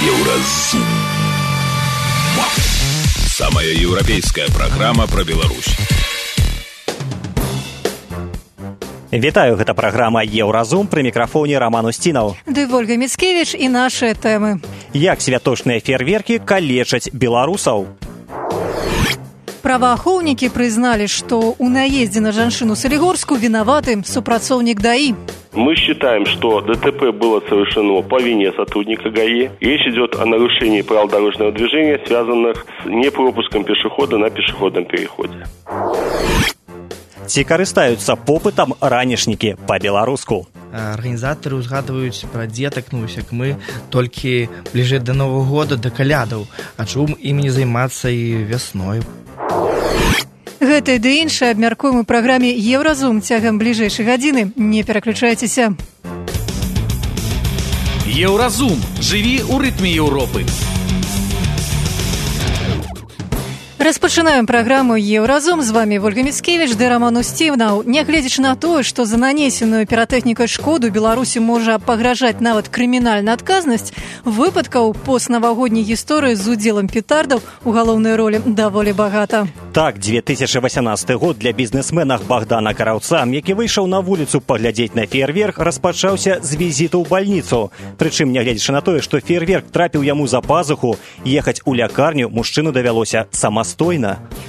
Еўразум. Самая еўрапейская праграма пра Беларусь. Вітаю, гэта праграма «Еўразум», пры мікрафоне Роман Устінаў. Ды Ольга Міцкевіч і нашыя тэмы. Як святочныя фейерверкі калечаць беларусаў? Праваахоўнікі прызналі, што ў наездзе на жанчыну Салігорскую виноваты супрацоўнік ДАИ. Мы считаем, что ДТП было совершено по вине сотрудника ГАИ. Речь идет о нарушении правил дорожного движения, связанных с непропуском пешехода на пешеходном переходе. Ці карыстаюцца попытам ранішнікі па-беларуску? Арганізатары ўзгадваюць пра дзетак, як мы, толькі бліжэй да Новага года, да калядаў. А чым ім не займацца і вясною? Гэта ды іншае абмяркуем у праграме «Еўразум» цягам бліжэйшай гадзіны. Не пераключайцеся. Еўразум. Жыві ў рытме Еўропы. Распачынаем праграму «Еўразум». З вами Ольга Міцкевіч ды Роман Устінаў. Нягледзячы на тое, што за нанесеную піратэхнікай шкоду Беларусі можа пагражаць нават крымінальная адказнасць, выпадкаў постнавагодняй гісторыі з удзелам петардаў у галоўнай ролі даволі багата. Так, 2018 год для бізнесмена Богдана Караўца, які выйшаў на вуліцу паглядзець на фейерверк, распачаўся з візіту ў бальніцу. Прычым, нягледзячы на тое, што фейерверк трапіў яму за пазуху, ехаць у лякарню мужчыну давялося самастойна.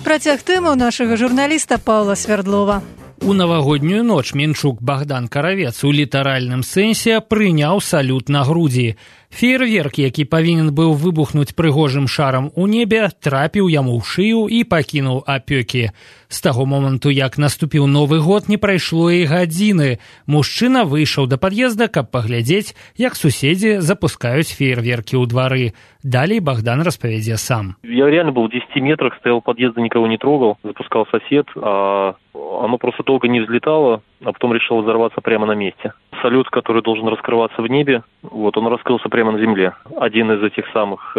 Працяг тэмы нашага журналіста Паўла Свердлова. У навагоднюю ноч Менчук Богдан Каравец у літаральным сэнсе прыняў салют на грудзі. Фейерверк, які павінен быў выбухнуць прыгожым шарам у небе, трапіў яму ў шыю і пакінуў апёкі. З таго моманту, як наступіў Новы год, не прайшло і гадзіны. Мужчына выйшаў да пад'езда, каб паглядзець, як суседзі запускаюць фейерверкі ў двары. Далей Богдан распавядзе сам. Я реально был в 10 метрах, стоял у подъезда, никого не трогал. Запускал сосед, а оно просто долго не взлетало, а потом решило взорваться прямо на месте. Салют, который должен раскрываться в небе, он раскрылся прямо на земле. Один из этих самых...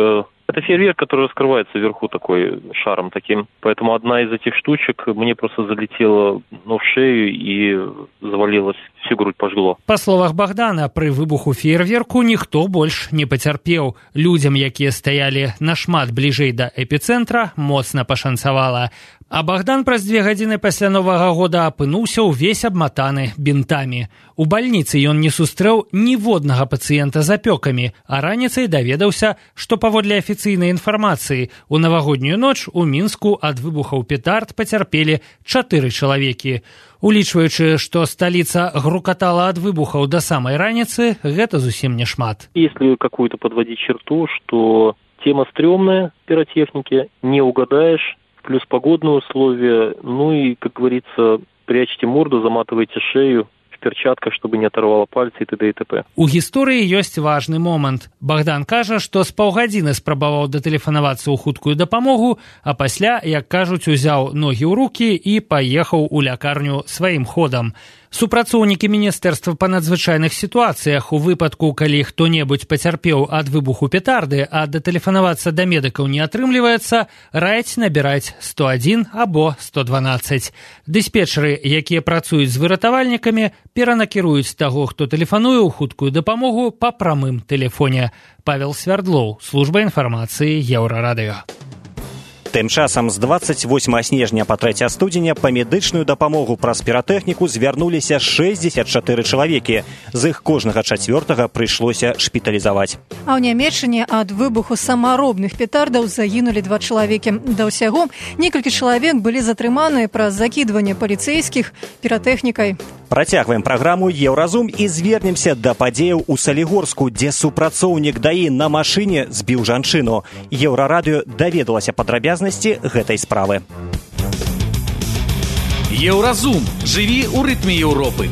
Это фейерверк, который раскрывается вверху такой шаром таким. Поэтому одна из этих штучек мне просто залетела в шею и завалилась, всю грудь пожгло. Па словах Богдана, пры выбуху фейерверку ніхто больш не пацярпеў. Людзям, якія стаялі нашмат бліжэй да эпіцэнтра, моцна пашанцавала. А Богдан праз 2 гадзіны пасля Новага года апынуўся ўвесь абматаны бінтамі. У бальніцы ён не сустрэў ніводнага пацыента з апёкамі, а раніцай даведаўся, што паводле афіцыйнай інфармацыі у навагоднюю ноч у Мінску ад выбухаў петард пацярпелі 4 чалавекі. Улічваючы, што сталіца грукатала ад выбухаў да самай раніцы, гэта зусім не шмат. Если какую-то подводить черту, что тема стрёмная пиротехники, не угадаешь, плюс погодные условия, и, как говорится, прячьте морду, заматывайте шею в перчатках, чтобы не оторвало пальцы и т.д. и т.п. У гісторыі ёсць важны момант. Богдан кажа, што з паўгадзіны спрабаваў датэлефанавацца ў хуткую дапамогу, а пасля, як кажуць, узяў ногі ў рукі і паехаў у лякарню сваім ходам. Супрацоўнікі Міністэрства па надзвычайных сітуацыях у выпадку, калі хто-небудзь пацярпеў ад выбуху петарды, а датэлефанавацца да медыкаў не атрымліваецца, раяць набіраць 101 або 112. Дыспетчары, якія працуюць з выратавальнікамі, перанакіруюць таго, хто тэлефануе ў хуткую дапамогу па прамым тэлефоне. Павел Свердлоў, служба інфармацыі Еўрарадыё. Тым часам з 28 снежня па 3 студзеня па медычную дапамогу праз піратэхніку звярнуліся 64 чалавекі. З іх кожнага 4-га прыйшлося шпіталізаваць. А ў Нямецчыне ад выбуху самаробных петардаў загінулі 2 чалавекі. Да ўсяго, некалькі чалавек былі затрыманыя праз закідванне паліцэйскіх піратэхнікай. Працягваем праграму «Еўразум» і звернемся да падзеяў у Салігорску, дзе супрацоўнік ДАИ на машыне збіў жанчыну. Еўрарадыё даведалася падрабязнасці гэтай справы. Еўразум. Жыві ў рытме Еўропы.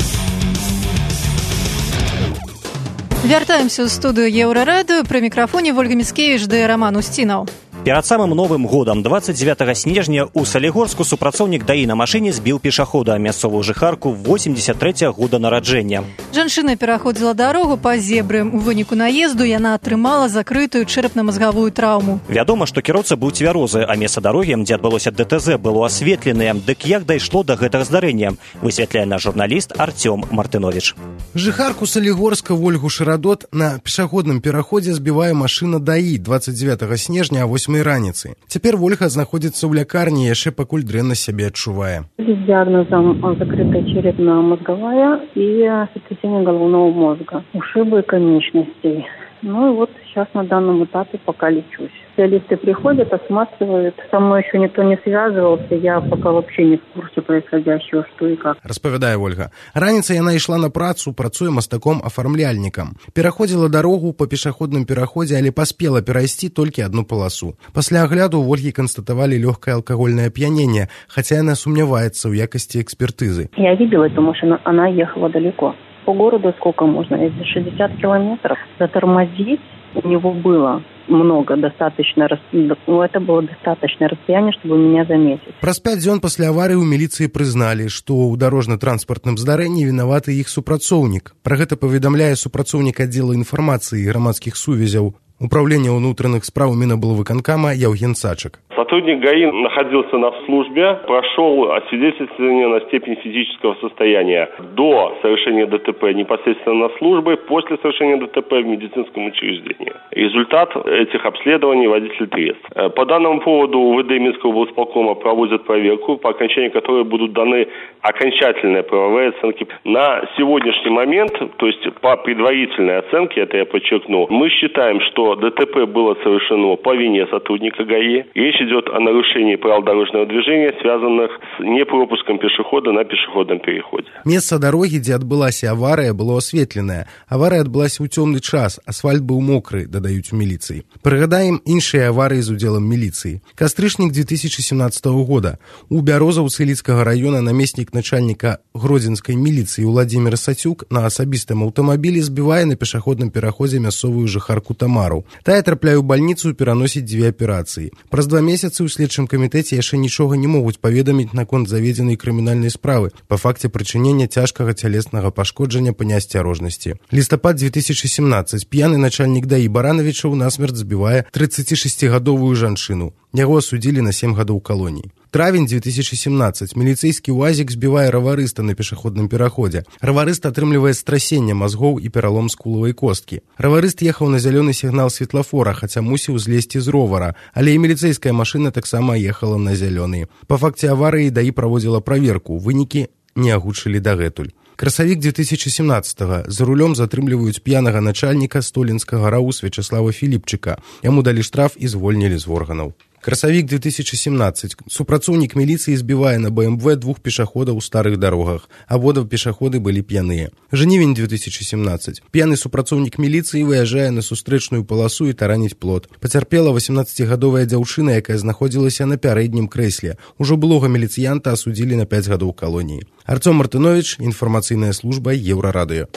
Вяртаемся ў студыю Еўрарадыё. Пры мікрафоне Ольга Міцкевіч ды Роман Устінаў. Перад самым Новым годам 29 снежня ў Салігорску супрацоўнік ДАІ на машыне збіў пешахода, мясцовую жыхарку 83 года нараджэння. Жанчына пераходзіла дарогу па зебры. У выніку наезду яна атрымала закрытую чэрапна-мазгавую траўму. Вядома, што кіроўца быў цвярозы, а месца дарогі, дзе адбылося ДТЗ, было асветленае. Дык як дайшло да гэтага здарэння? Высвятляе наш журналіст Артём Мартынович. Жыхарку Салігорска Ольгу Шарадот на пешаходным пераходзе збівае машына ДАІ 29 снежня а 8 раніцы. Цяпер Ольга знаходзіцца ў лякарні, яшчэ пакуль дрэнна сябе адчувае. С диагнозом закрытая черепно-мозговая и сотрясение головного мозга, ушибы конечностей. Ну и вот сейчас на данном этапе пока лечусь. Специалисты приходят, осматривают. Со мной еще никто не связывался, я пока вообще не в курсе происходящего, что и как. Распавядае Ольга. Раніцай яна ішла на працу, працуе мастаком-афармляльнікам. Пераходзіла дарогу па пешаходным пераходзе, але паспела перайсці толькі адну паласу. Пасля агляду у Ольгі канстатавалі лёгкае алкагольнае ап'яненне, хаця яна сумняваецца ў якасці экспертызы. Я видела эту машину, она ехала далеко. По городу сколько можно? Если 60 километров. Затормозить у него было много, достаточно, это было достаточное расстояние, чтобы меня заметить. Праз 5 дзён пасля аварыі ў міліцыі прызналі, што ў дарожна-транспартным здарэнні вінаваты іх супрацоўнік. Пра гэта паведамляе супрацоўнік аддзела інфармацыі і грамадскіх сувязяў Управления внутренних справ Миноблвыконкама Евген Сачек. Сотрудник ГАИ находился на службе, прошел освидетельствование на степень физического состояния до совершения ДТП непосредственно на службе, после совершения ДТП в медицинском учреждении. Результат этих обследований водитель трезв. По данному поводу УВД Минского облсполкома проводят проверку, по окончании которой будут даны окончательные правовые оценки. На сегодняшний момент, то есть по предварительной оценке, это я подчеркну, мы считаем, что ДТП было совершено по вине сотрудника ГАИ. Речь идет о нарушении правил дорожного движения, связанных с непропуском пешехода на пешеходном переходе. Место дороги, где отбылась авария, было осветленное. Авария отбылась у темный час, асфальт был мокрый, додают в милиции. Пригадаем іншие аварии с уделом милиции. Кастрычник 2017 года. У Бярозаўцы Лідскага района наместник начальника Гродзенской милиции Владимир Сацюк на особистом автомобиле сбивая на пешеходном переходе мясцовую жыхарку Тамару. Тая трапляе ў бальніцу пераносіць 2 аперацыі. Праз 2 месяцы ў следчым камітэце яшчэ нічога не могуць паведаміць наконт заведзенай крымінальнай справы па факце прычынення цяжкага цялеснага пашкоджання па неасцярожнасці. Лістапад 2017. П'яны начальнік ДАІ Барановичаў насмерць збівае 36-гадовую жанчыну. Яго асудзілі на 7 гадоў калоній. Травень 2017. Міліцэйскі УАЗик збівае раварыста на пешаходным пераходзе. Раварыст атрымлівае страсенне мазгоў і пералом скулавай косткі. Раварыст ехаў на зялёны сігнал светлафора, хаця мусіў злезці з ровара, але і міліцэйская машына таксама ехала на зялёны. Па факце аварыі ДАІ праводзіла праверку, вынікі не агучылі дагэтуль. Красавік 2017-го. За рулем затрымліваюць п'янага начальніка Столінскага РАУ Вячеслава Філіпчыка. Яму далі штраф і звольнілі з органаў. Красавік 2017. Супрацоўнік міліцыі збівае на БМВ 2 пешаходаў у старых дарогах. Абодва пешаходы былі п'яныя. Жнівень 2017. П'яны супрацоўнік міліцыі выязджае на сустрэчную паласу і тараніць плот. Пацярпела 18-гадовая дзяўчына, якая знаходзілася на пярэднім крэсле. Ужо былога міліцыянта асудзілі на 5 гадоў калоніі. Артём Мартынович, інфармацыйная служба Еўрарадыё.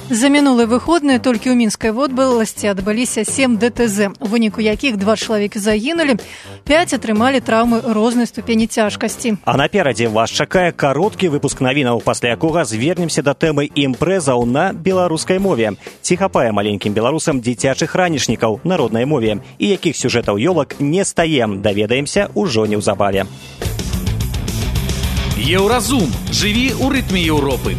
За мінулыя выходныя толькі ў мінскай вобласці адбыліся 7 ДТЗ, у выніку якіх 2 чалавекі загінулі, 5 атрымалі траўмы рознай ступені цяжкасці. А наперадзе вас чакае кароткі выпуск навінаў, пасля якога звернемся да тэмы імпрэзаў на беларускай мове. Ці хапае маленькім беларусам дзіцячых ранішнікаў на роднай мове, і якіх сюжэтаў ёлак не стаем, даведаемся ўжо неўзабаве. Еўразум. Жыві ў рытме Еўропы.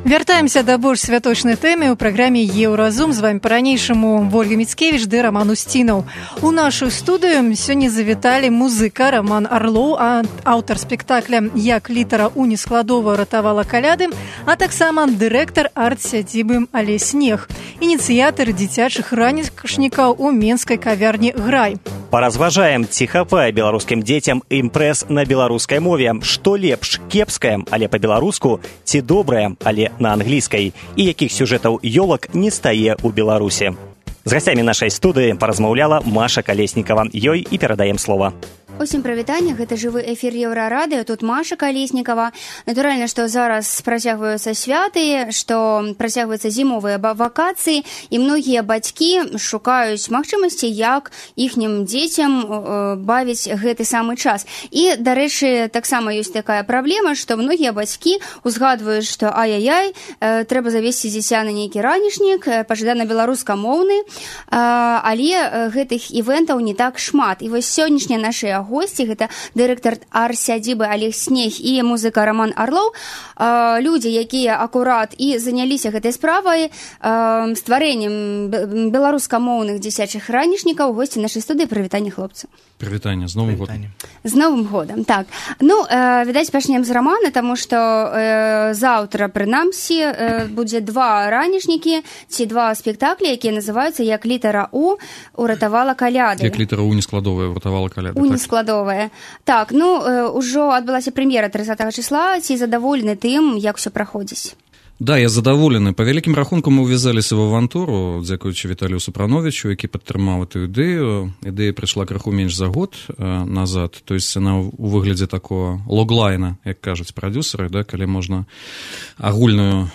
Вяртаемся да больш святочнай тэмы ў праграме «Еўразум». З вами па-ранейшаму Ольга Міцкевіч ды Раман Усцінаў. У нашу студыю сёння завіталі музыка Роман Арлоў, аўтар спектакля «Як літара ў нескладова ратавала каляды», а таксама дырэктар арт-сядзібы «Але снег», ініцыятар дзіцячых ранішнікаў у менскай кавярні «Грай». Паразважаем, ці хапае беларускім дзецям імпрэз на беларускай мове. Што лепш, кепскае, але па-беларуску, ці добрае, але на англійскай, і якіх сюжэтаў ёлак не стае ў Беларусі. З гасцямі нашай студыі паразмаўляла Маша Калеснікава. Ёй і перадаем слова. Усім прывітанне, гэта жывы эфір Еўрарадыё, тут Маша Калеснікава. Натуральна, што зараз працягваюцца святы, што працягваюцца зімовыя вакацыі, і многія бацькі шукаюць магчымасці, як іхнім дзецям бавіць гэты самы час. І, дарэчы, таксама ёсць такая праблема, што многія бацькі узгадваюць, што ай-яй-яй, трэба завесці дзіця на нейкі ранішнік, пажадана беларускамоўны, але гэтых івентаў не так шмат. І вось сённяшнія нашыя госці, гэта дырэктар арт-сядзібы Олег Снег і музыка Роман Орлоў, людзі, якія акурат і заняліся гэтай справай, стварэннем беларускамоўных дзіцячых ранішнікаў. Госці нашай студыі. Прывітанне, хлопцы. Прывітанне, з Новым годам. З Новым годам, так. Ну, відаць, пачнем з Романа, таму што заўтра, прынамсі, будзе два ранішнікі ці два спектаклі, якія называюцца «Як літара У уратавала каляды». Як літара У нескладовая уратавала каляды. У нескладовая. Так, ну, ужо адбылася прэм'ера 30 числа. Ці задаволены тым, як усё праходзіць? Да, я задаволены. Па вялікім рахунку мы ўвязаліся в авантуру, дзякуючы Віталію Супрановичу, які падтрымаў эту ідэю. Ідэя прыйшла крыху менш за год назад. То есть она у выглядзе такого логлайна, як кажуць прадюсеры, да, калі можна агульную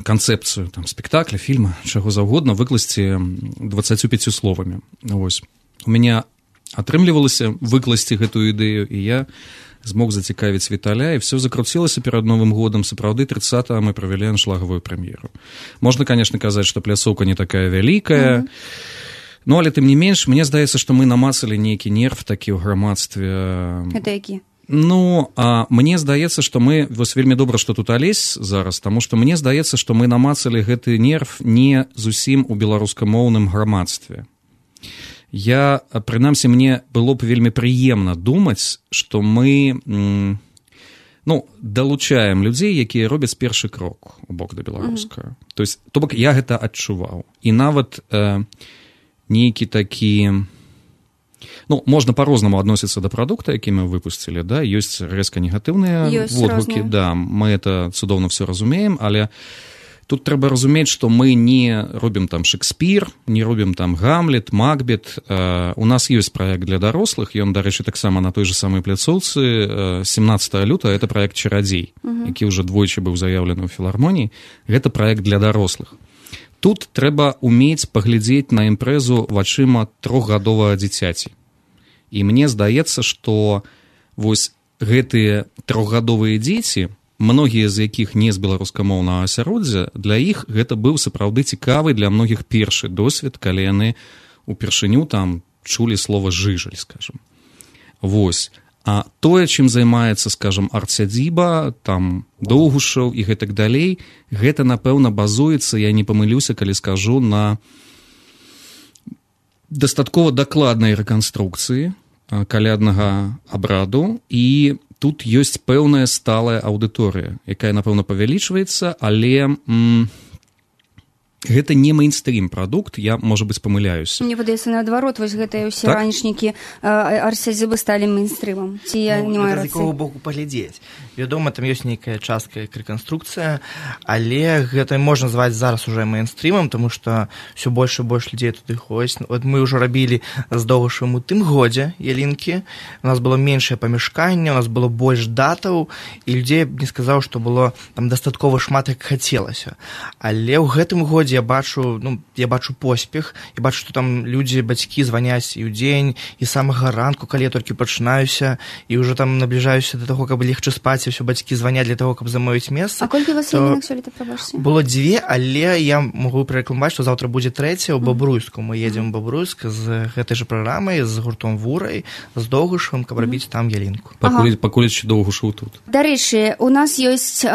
канцэпцыю там, спектакля, фільма, чаго заўгодна выкласці 25 словамі. Вось. У мяне атрымлівалася выкласці гэтую ідэю, і я змог зацікавіць Віталя, і все закруцілася перад Новым годам. Сапраўды, 30-го мы правялі аншлагавую прэм'еру. Можна, конечно, казаць, што пляцоўка не такая вялікая, но, але тым не менш, мне здаецца, што мы намацалі нейкі нерв такі ў грамадстве. Гэта які? Ну, мне здаецца, што мы, вось вельмі добра, што тут Алесь зараз, таму што мне здаецца, што мы намацалі гэты нерв не зусім у беларускамоўным грамадстве. Я, прынамсі, мне было б вельмі прыемна думаць, што мы далучаем людзей, якія робяць першы крок у бок да беларускага. То бок я гэта адчуваў. І нават нейкі такі... можна па-рознаму адносіцца да прадукта, які мы выпусцілі, да, ёсць рэзка негатыўныя водгукі, да, мы это цудоўна все разумеем, але тут трэба разумець, што мы не робім там Шекспір, не робім там Гамлет, Макбет. У нас ёсць праект для дарослых, ён, дарэчы, таксама на той же самой пляцоўцы. 17 лютага это праект «Чарадзей», які ўжо двойчы быў заяўлены ў філармоніі. Гэта праект для дарослых. Тут трэба умець паглядзець на імпрэзу вачыма 3гадовага дзіцяці. І мне здаецца, што вось гэтыя 3гадовыя дзеці, многія з якіх не з беларускамоўнага асяроддзя, для іх гэта быў сапраўды цікавы для многіх першы досвед, калі яны упершыню там чулі слова «жыжаль», скажем. Вось. А тое, чым займаецца, скажем, арт-сядзіба, там Доўгушаў і гэтак далей, гэта, напэўна, базуецца, я не памылюся, калі скажу, на дастаткова дакладнай рэканструкцыі каляднага абраду, і тут ёсць пэўная сталая аўдыторыя, якая, напэўна, павялічваецца, але гэта не мейнстрим прадукт, я, можа быць, памыляюся. Мне падаецца, наадварот, вось гэтыя ўсе ранішнікі арт-сядзібы сталі мейнстрымам. Ці я не маю рацыі? З якога боку паглядзець. Вядома, там ёсць нейкая частка як рэканструкцыя, але гэта можна назваць зараз уже мейнстрымам, таму што ўсё больш і больш людзей туды ходзіць. От мы ўжо рабілі з Доўгушавым у тым годзе ялінкі, у нас было меншае памяшканне, у нас было больш датаў, і людзей не сказаў, што было там дастаткова шмат, як хацелася. Але ў гэтым годзе я бачу поспех, я бачу, што там людзі, бацькі званяць і ў дзень, і самага ранку, калі я толькі пачынаюся, і ўжо там набліжаюся да таго, каб легчы спаць, і ўсё бацькі званяць для таго, каб замовіць месца. А колькі вас ялінак сёлета, прабачце? Было 2, але я магу прарэкламаваць, што заўтра будзе 3 ў Бабруйску. Мы едзем у Бабруйск з гэтай жа праграмай, з гуртом «Вурай», з Доўгушавым, каб рабіць там ялінку. Пакуль яшчэ Доўгушаў тут. Дарэчы, у нас ёсць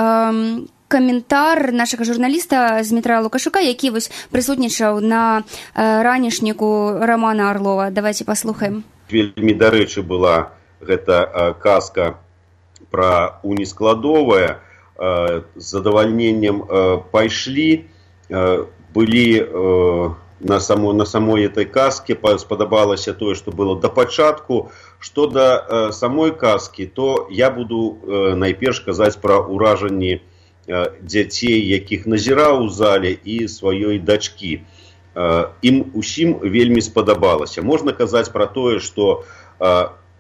каментар нашага журналіста Змітра Лукашука, які вось прысутнічаў на ранішніку Романа Орлова. Давайте паслухаем. Вельмі дарэчы была гэта казка пра У нескладовае. З задавальненнем пайшлі, былі на самой этой казке, спадабалася тое, што было да пачатку. Што да самой казкі, то я буду найперш казаць пра ўражанні дзяцей, якіх назіраў у зале, і сваёй дачкі. Ім усім вельмі спадабалася. Можна казаць пра тое, што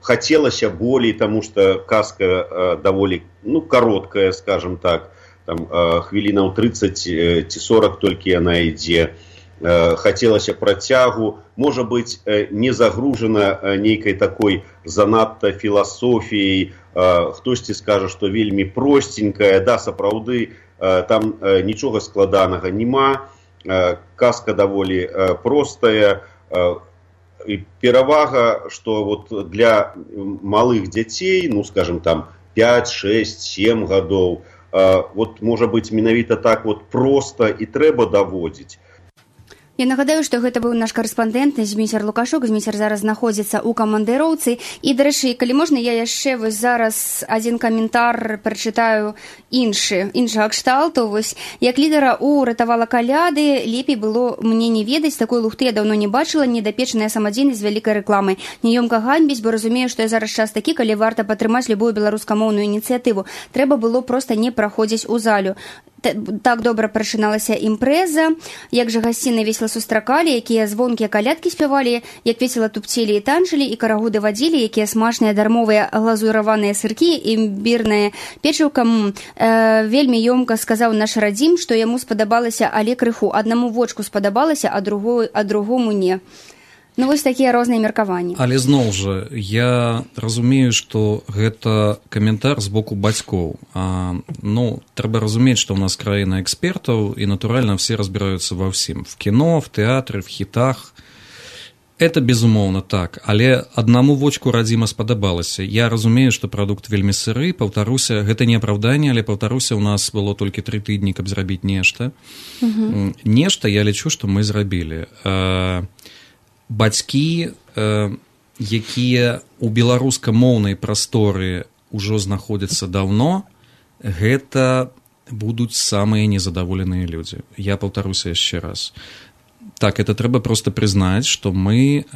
хотелось болей, потому что казка даволі, короткая, скажем так, там хвілінаў 30 ці 40 толькі яна ідзе. Хацелася працягу, можа быць, не загружана нейкай такой занадта філасофіяй, хтосьці скажа, што вельмі простенькая, да, сапраўды, там нічога складанага няма, казка даволі простая, і перавага, што вот для малых дзяцей, скажем, там 5, 6, 7 гадоў, вот, можа быць, менавіта так вот проста і трэба даводзіць. Я нагадаю, што гэта быў наш карэспандэнт Зміцер Лукашук. Зміцер зараз знаходзіцца ў камандыроўцы. І, дарэчы, калі можна, я яшчэ вось зараз адзін каментар прачытаю іншага кшталту. Вось, як лідара ўратавала каляды, лепей было мне не ведаць, такой лухты я даўно не бачыла, недапечаная самадзейнасць з вялікай рэкламай. Няёмка ганьбіць, бо разумею, што я зараз час такі, калі варта падтрымаць любую беларускамоўную ініцыятыву. Трэба было проста не праходзіць у залю. Так добра прачыналася імпрэза, як жа гасціны весела сустракалі, якія звонкія калядкі спявалі, як весела тупцелі і танчылі, і карагуды вадзілі, якія смачныя дармовыя глазураваныя сыркі, імбірная печыўка. Вельмі ёмка сказаў наш радзім, што яму спадабалася, але крыху. Аднаму вочку спадабалася, а другому не. Вось такія розныя меркаванні. Але зноў жа, я разумею, што гэта каментар з боку бацькоў. Трэба разумець, што ў нас краіна экспертаў, і, натуральна, все разбіраюцца ва ўсім. В кіно, в тэатры, в хітах. Это, безумоўна, так. Але аднаму вочку радзіма спадабалася. Я разумею, што прадукт вельмі сыры, паўтаруся, гэта не апраўданне, але, паўтаруся, у нас было толькі 3 тыдні, каб зрабіць нешта. Нешта, я лічу, што мы зрабілі. Бацькі, якія ў беларускамоўнай прасторы ўжо знаходзяцца даўно, гэта будуць самыя незадаволеныя людзі. Я паўтаруся яшчэ раз. Так, это трэба проста прызнаць, што мы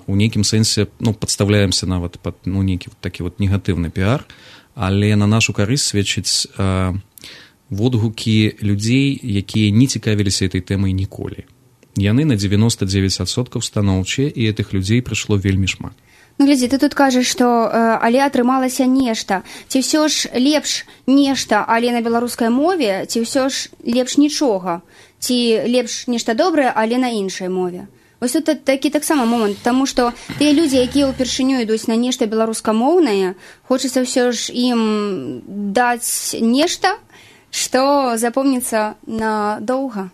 у нейкім сэнсе падставляемся нават пад нейкі такі негатыўны піар, але на нашу карысць сведчыць водгукі людзей, якія не цікавіліся этой тэмай ніколі. Яны на 99% станоўчыя, і гэтых людзей прыйшло вельмі шмат. Глядзі, ты тут кажаш, што але атрымалася нешта. Ці ўсё ж лепш нешта, але на беларускай мове, ці ўсё ж лепш нічога? Ці лепш нешта добрае, але на іншай мове? Вось тут такі таксама момант, таму што тыя людзі, якія ўпершыню ідуць на нешта беларускамоўнае, хочацца ўсё ж ім даць нешта, што запомніцца надоўга.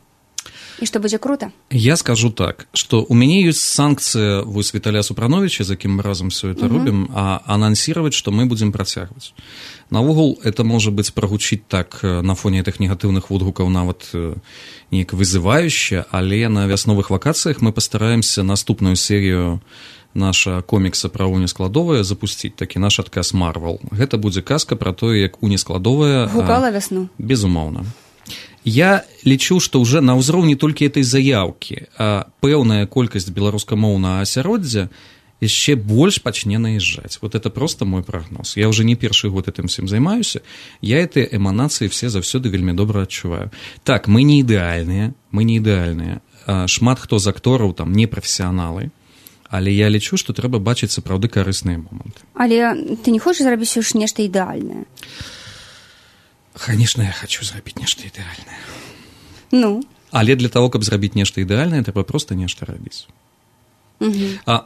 І што будзе круто? Я скажу так, што у мяне ёсць санкцыя вось Віталя Супрановича, з якім мы разам все это робім, анансировать, што мы будзем працягваць. Наогул, это можа быць прагучыць так на фоне гэтых негатыўных водгукаў нават неяк вызывающе, але на вясновых вакацыях мы пастараемся наступную серію наша комікса пра Уню Складовая запусціць, такі наш адказ Марвел. Гэта будзе казка пра тое, як Уня Складовая гукала вясну. Безумоўна. Я лічу, што ўжо на ўзроўні толькі этой заяўкі пэўная колькасць беларускамоўнага асяроддзя яшчэ больш пачне наязджаць. Вот это просто мой прагноз. Я уже не першы год этим всем займаюся. Я эти эманацыі все заўсёды вельмі добра адчуваю. Так, мы не ідэальныя. Шмат хто з актораў там не прафесіяналы. Але я лічу, што трэба бачыць сапраўды карысныя моманты. Але ты не хочаш зрабіць ўж нешта ідэальнае? Конечно, я хочу зрабіць нешта ідэальнае. Але для того, каб зрабіць нешта ідэальнае, трэба проста нешта рабіць.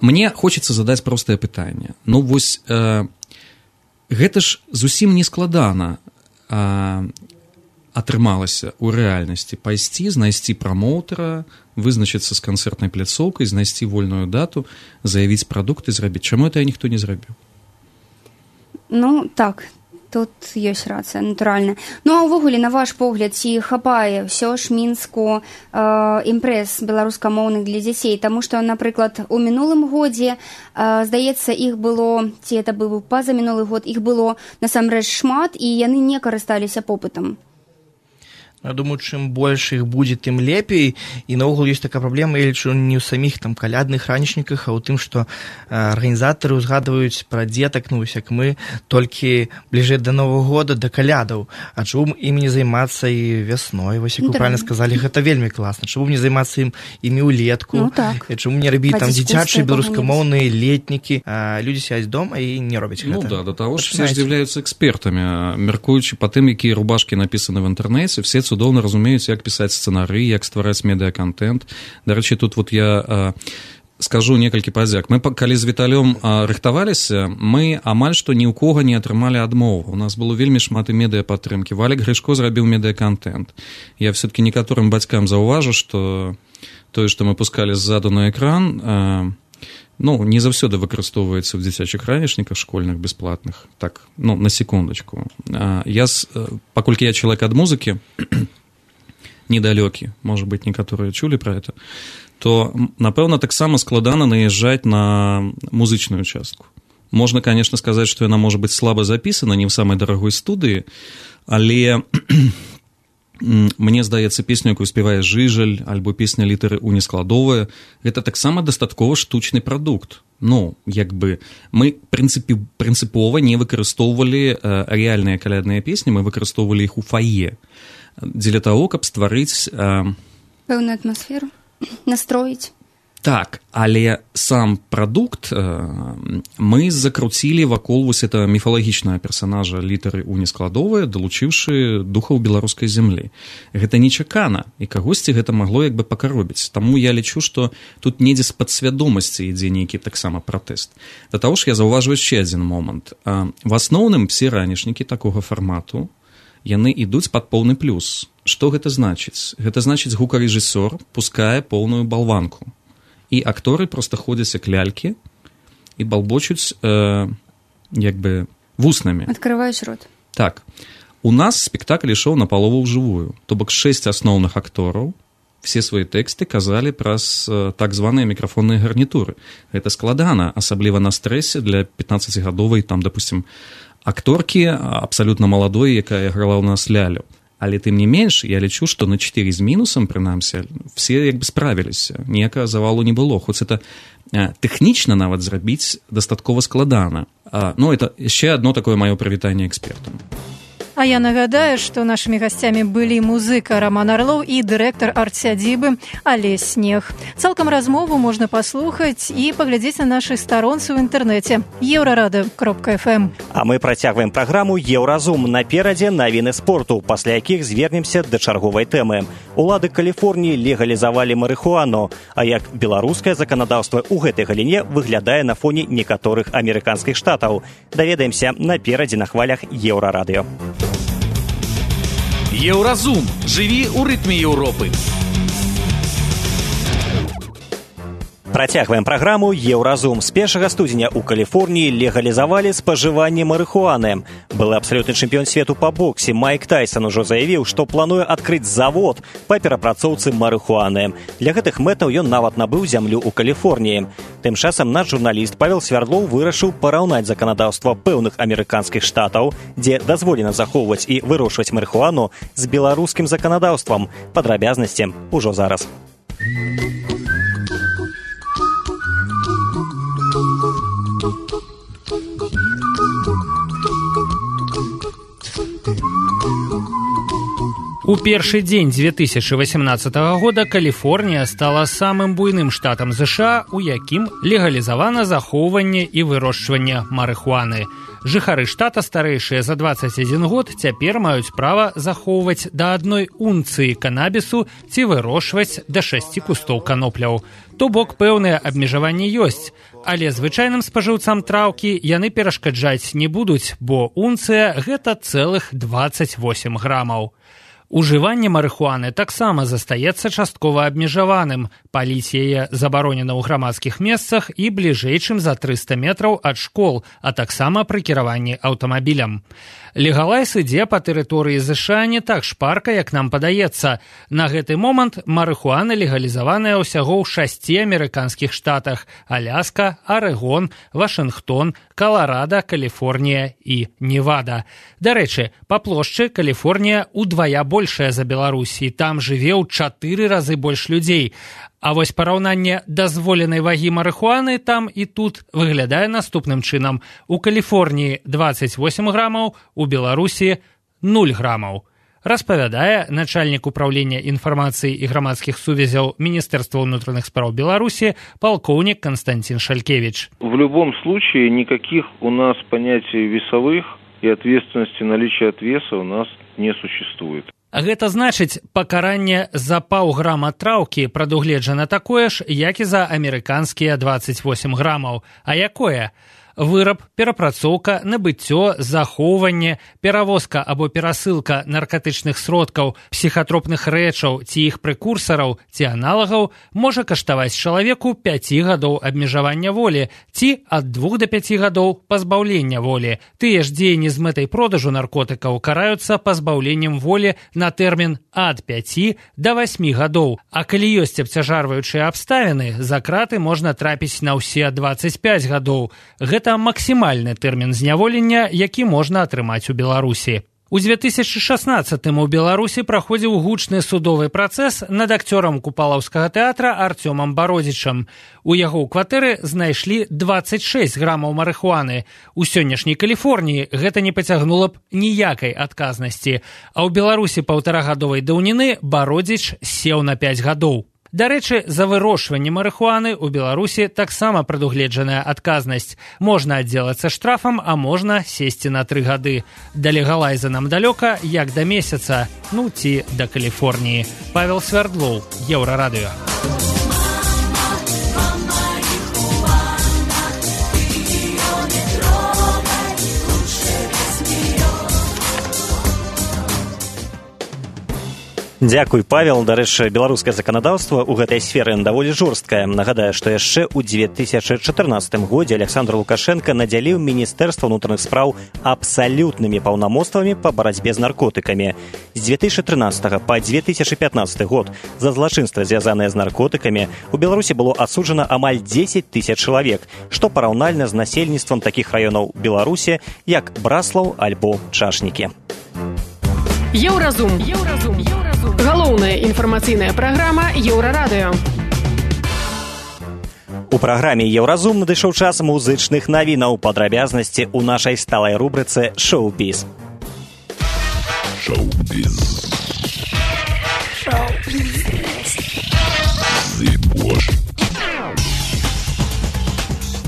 Мне хочется задаць простае пытанне. Вось гэта ж зусім не складана атрымалася ў рэальнасці пайсці, знайсці прамоўтара, вызначыцца з канцэртнай пляцоўкай, знайсці вольную дату, заявіць прадукт і зрабіць. Чаму это ніхто не зрабіў? Так. Тут ёсць рацыя, натуральна. А ўвогуле, на ваш погляд, ці хапае ўсё ж Мінску імпрэз беларускамоўных для дзяцей? Таму што, напрыклад, у мінулым годзе, здаецца, іх было, ці это быў пазамінулы год, іх было насамрэч шмат, і яны не карысталіся попытам. Я думаю, чым больш іх будзе, тым лепей. І наогул ёсць такая праблема, я лічу, не ў саміх там калядных ранішніках, а ў тым, што арганізатары ўзгадваюць пра дзетак, ну, як мы, толькі бліжэй да Новага года, да калядаў. А чаму ім не займацца і вясной? Вось, як вы правильно сказалі, гэта вельмі класна. Чаму не займацца імі ўлетку? Ну, так. Чаму не рабіць там дзіцячыя беларускамоўныя летнікі? Людзі сядзяць дома і не робяць гэта. Ну да, до того ж все з'яўляюцца экспертамі. Мяркуючы па тым, якія рубашкі напісаны в інтэрнэце, все цудоўна разумеюць, як пісаць сцэнарый, як ствараць медыакантэнт. Дарэчы, тут вот я скажу некалькі падзяк. Мы, калі з Віталём рыхтаваліся, мы амаль што ні ў кога не атрымалі адмову. У нас было вельмі шмат і медыападтрымкі. Валік Грышко зрабіў медыакантэнт. Я все-таки некаторым бацькам заўважу, што тое, што мы пускалі ззаду на экран, ну, не заўсёды выкарыстоўваецца ў дзіцячых ранішніках школьных бясплатных. Так, ну, на секундочку. Паколькі я чалавек ад музыкі, недалёкі, может быть, некаторыя чулі пра гэта, то, напэўна, таксама складана наязджаць на музычную частку. Можна, конечно, сказаць, што яна можа быць слаба запісана, не ў самай дарагой студыі, але мне здаецца, песню, якую спявае Жыжаль, альбо песня літары «У» нескладовая, гэта таксама дастаткова штучны прадукт. Ну, як бы, мы прынцыпова не выкарыстоўвалі рэальныя калядныя песні, мы выкарыстоўвалі іх у фае. Дзеля таго, каб стварыць пэўную атмасферу, настроіць. Так, але сам прадукт мы закруцілі вакол вось этого міфалагічнага персанажа літары «У» нескладовая, далучыўшы духаў беларускай зямлі. Гэта нечакана, і кагосьці гэта магло як бы пакаробіць. Таму я лічу, што тут недзе з падсвядомасці ідзе нейкі таксама пратэст. Да таго ж я заўважваю яшчэ адзін момант. В асноўным все ранішнікі такога фармату яны ідуць пад поўны плюс. Што гэта значыць? Гэта значыць, гукарэжысёр пускае поўную балванку. І акторы проста ходзяць як лялькі і балбочуць як бы вуснамі. Адкрываюць рот. Так. У нас спектакль ішоў напалову ўжывую. То бок 6 асноўных актораў все свае тэксты казалі праз так званыя мікрафонныя гарнітуры. Гэта складана, асабліва на стрэсе для 15-гадовай, там, допустим, акторкі абсалютна маладой, якая грала ў нас лялю. Але тым не менш, я лічу, што на 4 з мінусам, прынамсі, все як бы справіліся. Ніякага завалу не было. Хоць это тэхнічна нават зрабіць дастаткова складана. Ну, это яшчэ адно такое маё прывітанне экспертам. А я нагадаю, што нашымі гасцямі былі музыка Роман Арлоў і дырэктар арт-сядзібы Алесь Снег. Цалкам размову можна паслухаць і паглядзець на нашай старонцы ў інтэрнэце eurorады.fm. А мы працягваем праграму «Еўразум». Наперадзе навіны спорту, пасля якіх звернемся да чарговай тэмы. Улады Каліфорніі легалізавалі марыхуану, а як беларускае заканадаўства ў гэтай галіне выглядае на фоне некаторых амерыканскіх штатаў. Даведаемся наперадзе на хвалях Еўрарадыё. Еўразум. Жыві ў рытме Еўропы. Працягваем праграму «Еўразум». З 1 студзеня ў Каліфорніі легалізавалі спажыванне марыхуаны. Былы абсалютны чэмпіён свету па боксе Майк Тайсон ужо заявіў, што плануе адкрыць завод па перапрацоўцы марыхуаны. Для гэтых мэтаў ён нават набыў зямлю ў Каліфорніі. Тым часам наш журналіст Павел Свярдлоў вырашыў параўнаць заканадаўства пэўных амерыканскіх штатаў, дзе дазволена захоўваць і вырошчваць марыхуану, з беларускім заканадаўствам. Падрабязнасці ўжо зараз. У першы дзень 2018 года Каліфорнія стала самым буйным штатам США, у якім легалізавана захоўванне і вырошчванне марыхуаны. Жыхары штата, старэйшыя за 21 год, цяпер маюць права захоўваць да 1 унцыі канабісу ці вырошчваць да 6 кустоў канопляў. То бок пэўныя абмежаванні ёсць, але звычайным спажыўцам траўкі яны перашкаджаць не будуць, бо унцыя – гэта цэлых 28 грамаў. Ужыванне марыхуаны таксама застаецца часткова абмежаваным. Паліць яе забаронена ў грамадскіх месцах і бліжэй, чым за 300 метраў ад школ, а таксама пры кіраванні аўтамабілем. Легалайз ідзе па тэрыторыі ЗША не так шпарка, як нам падаецца. На гэты момант марыхуана легалізаваная ўсяго ў 6 амерыканскіх штатах – Аляска, Арэгон, Вашынгтон, Каларада, Каліфорнія і Невада. Дарэчы, па плошчы Каліфорнія ўдвая больш большая за Беларусі, там жыве ў 4 разы больш людзей. А вось параўнанне дазволенай вагі марыхуаны там і тут выглядае наступным чынам. У Каліфорніі 28 грамаў, у Беларусі 0 грамаў. Распавядае начальнік управлення інфармацыі і грамадскіх сувязяў Міністэрства ўнутраных спраў Беларусі полковник Константин Шалькевич. В любом случае никаких у нас понятий весовых и ответственности наличия отвеса у нас не существует. Гэта значыць, пакаранне за паўграма траўкі прадугледжана такое ж, як і за амерыканскія 28 грамаў. А якое? Выраб, перапрацоўка, набыццё, захоўванне, перавозка або перасылка наркатычных сродкаў, псіхатропных рэчаў ці іх прэкурсараў ці аналагаў можа каштаваць чалавеку 5 гадоў абмежавання волі ці ад 2 до 5 гадоў пазбаўлення волі. Тыя ж дзеянні з мэтай продажу наркотыкаў караюцца пазбаўленнем волі на тэрмін ад 5 до 8 гадоў. А калі ёсць абцяжарваючыя абставіны, за краты можна трапіць на ўсе 25 гадоў. Гэта максімальны тэрмін зняволення, які можна атрымаць у Беларусі. У 2016-м у Беларусі праходзіў гучны судовы працэс над акцёрам Купалаўскага тэатра Артёмам Бародзічам. У яго ў кватэры знайшлі 26 грамаў марыхуаны. У сённяшняй Каліфорніі гэта не пацягнула б ніякай адказнасці. А ў Беларусі паўтарагадовай даўніны Бародзіч сеў на 5 гадоў. Дарэчы, за вырошчванне марыхуаны ў Беларусі таксама прадугледжаная адказнасць. Можна аддзелацца штрафам, а можна сесці на 3 гады. Да легалайза нам далёка, як да месяца, ну ці да Каліфорніі. Павел Свярдлоў, Еўрарадыё. Дзякуй, Павел. Дарэчы, беларускае заканадаўства ў гэтай сферы даволі жорсткае. Нагадаю, што яшчэ ў 2014 годзе Александр Лукашенко надзяліў Міністэрства ўнутраных спраў абсалютнымі паўнамоцтвамі па барацьбе з наркотыкамі. З 2013 па 2015 год за злачынства, звязаныя з наркотыкамі, у Беларусі было асуджана амаль 10 000 чалавек, што параўнальна з насельніцтвам такіх раёнаў Беларусі, як Браслаў альбо Чашнікі. Еўразум. Галоўная інфармацыйная праграма Еўрарадыё. У праграме Еўразум надышоў час музычных навінаў, падрабязнасці ў нашай сталай рубрыцы «Шоу-біз».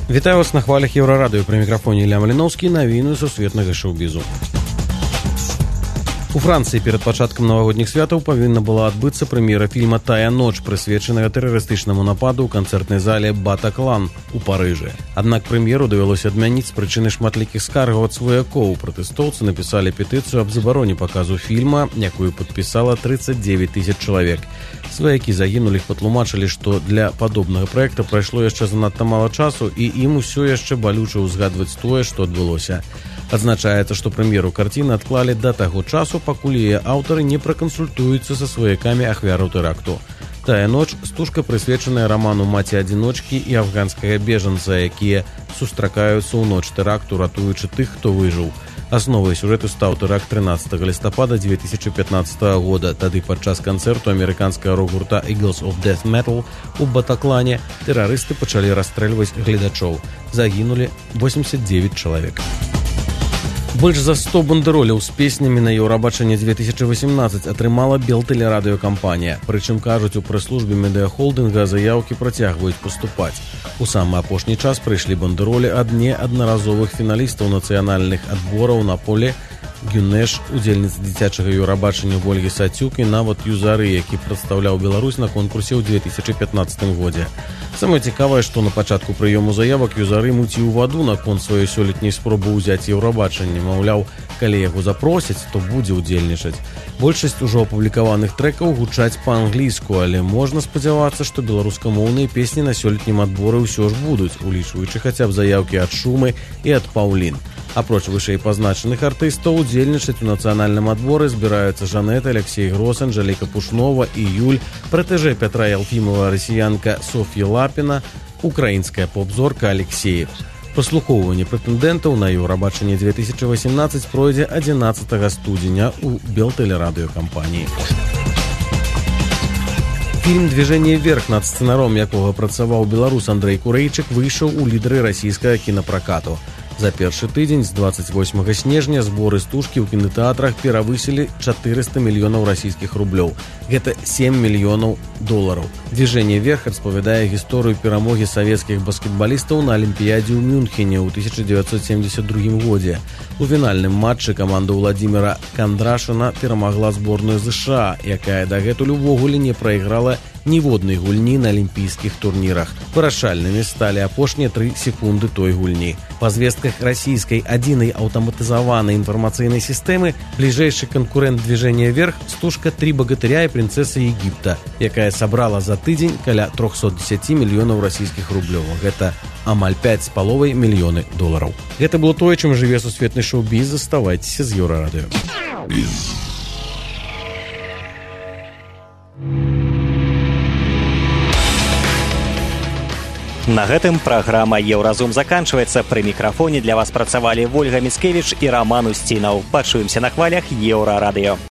Вітаю вас на хвалях Еўрарадыё. Пры мікрафоне Ілля Маліноўскі, навіны сусветнага шоу-бізу. У Францыі перад пачаткам навагодніх святаў павінна была адбыцца прэм'ера фільма «Тая ноч», прысвечанага тэрарыстычнаму нападу ў канцэртнай зале «Батаклан» у Парыжы. Аднак прэм'еру давялося адмяніць з прычыны шматлікіх скаргаў ад сваякоў. Пратэстоўцы напісалі петыцыю аб забароне паказу фільма, якую падпісала 39 000 чалавек. Сваякі загінулі, патлумачылі, што для падобнага праекта прайшло яшчэ занадта мала часу, і ім усё яшчэ балюча ўзгадваць тое, што адбылося. Адзначаецца, што прэм'еру карціны адклалі да таго часу, пакуль яе аўтары не пракансультуюцца са сваякамі ахвяраў тэракту. «Тая ноч» – стужка, прысвечаная раману маці-адзіночкі і афганскага бежанца, якія сустракаюцца ў ноч тэракту, ратуючы тых, хто выжыў. Асновай сюжэту стаў тэракт 13 лістапада 2015 года. Тады падчас канцэрту амерыканскага рок-гурта Eagles of Death Metal у Батаклане тэрарысты пачалі расстрэльваць гледачоў. Загінулі 89 чалавек. Больш за 100 бандероляў з песнямі на Еўрабачанне 2018 атрымала Белтэлерадыёкампанія. Прычым, кажуць, у прэс-службе медыахолдынга заяўкі працягваюць паступаць. У самы апошні час прыйшлі бандеролі ад неаднаразовых фіналістаў нацыянальных адбораў на поле Гюнеш, удзельніцы дзіцячага Еўрабачання Ольгі Сацюк і нават Юзары, які прадстаўляў Беларусь на конкурсе ў 2015 годзе. Самае цікавае, што на пачатку прыёму заявак Юзары муціў ваду наконт сваёй сёлетняй спробы ўзяць Еўрабачанне. Маўляў, калі яго запросяць, то будзе ўдзельнічаць. Большасць ужо апублікаваных трэкаў гучаць па-англійску, але можна спадзявацца, што беларускамоўныя песні на сёлетнім адборы ўсё ж будуць, улічваючы хаця б заяўкі ад Шумы і ад Паўлін. Апроч вышэй пазначаных артыстаў, удзельнічаць у нацыянальным адборы збіраюцца Жанет, Алексей Грос, Анжэліка Пушнова і Юль, пратэжэ Пятра Ялфімова расіянка Соф'я Лапіна, украінская поп-зорка Алексеев. Праслухоўванне прэтэндэнтаў на Еўрабачанне 2018 пройдзе 11 студзеня ў Белтэлерадыёкампаніі. Фільм «Движение вверх», над сцэнаром якога працаваў беларус Андрэй Курэйчык, выйшаў у лідары расійскага кінапракату. За першы тыдзень з 28 снежня зборы стужкі ў кінатэатрах перавысілі 400 мільёнаў расійскіх рублёў. Гэта 7 мільёнаў долараў. «Движение вверх» распавядае гісторыю перамогі савецкіх баскетбалістаў на Алімпіядзе ў Мюнхене ў 1972 годзе. У фінальным матчы каманда Владзіміра Кандрашына перамагла зборную ЗША, якая дагэтуль увогуле не прайграла ніводнай гульні на алімпійскіх турнірах. Вырашальнымі сталі апошнія 3 секунды той гульні. Па звестках расійскай адзінай аўтаматызаванай інфармацыйнай сістэмы бліжэйшы канкурэнт «Движение вверх» стужка «Три богатыря і прынцэса Егіпта», якая сабрала за тыдзень каля 310 мільёнаў расійскіх рублёў. Гэта амаль 5,5 мільёны долараў. Гэта было тое, чым жыве сусветны шоу-біз. Заставайцеся з Еўрарадыё. На гэтым праграма «Еўразум» заканчваецца. Пры мікрафоне для вас працавалі Вольга Міцкевіч і Раман Усцінаў. Пачуемся на хвалях Еўрарадыё.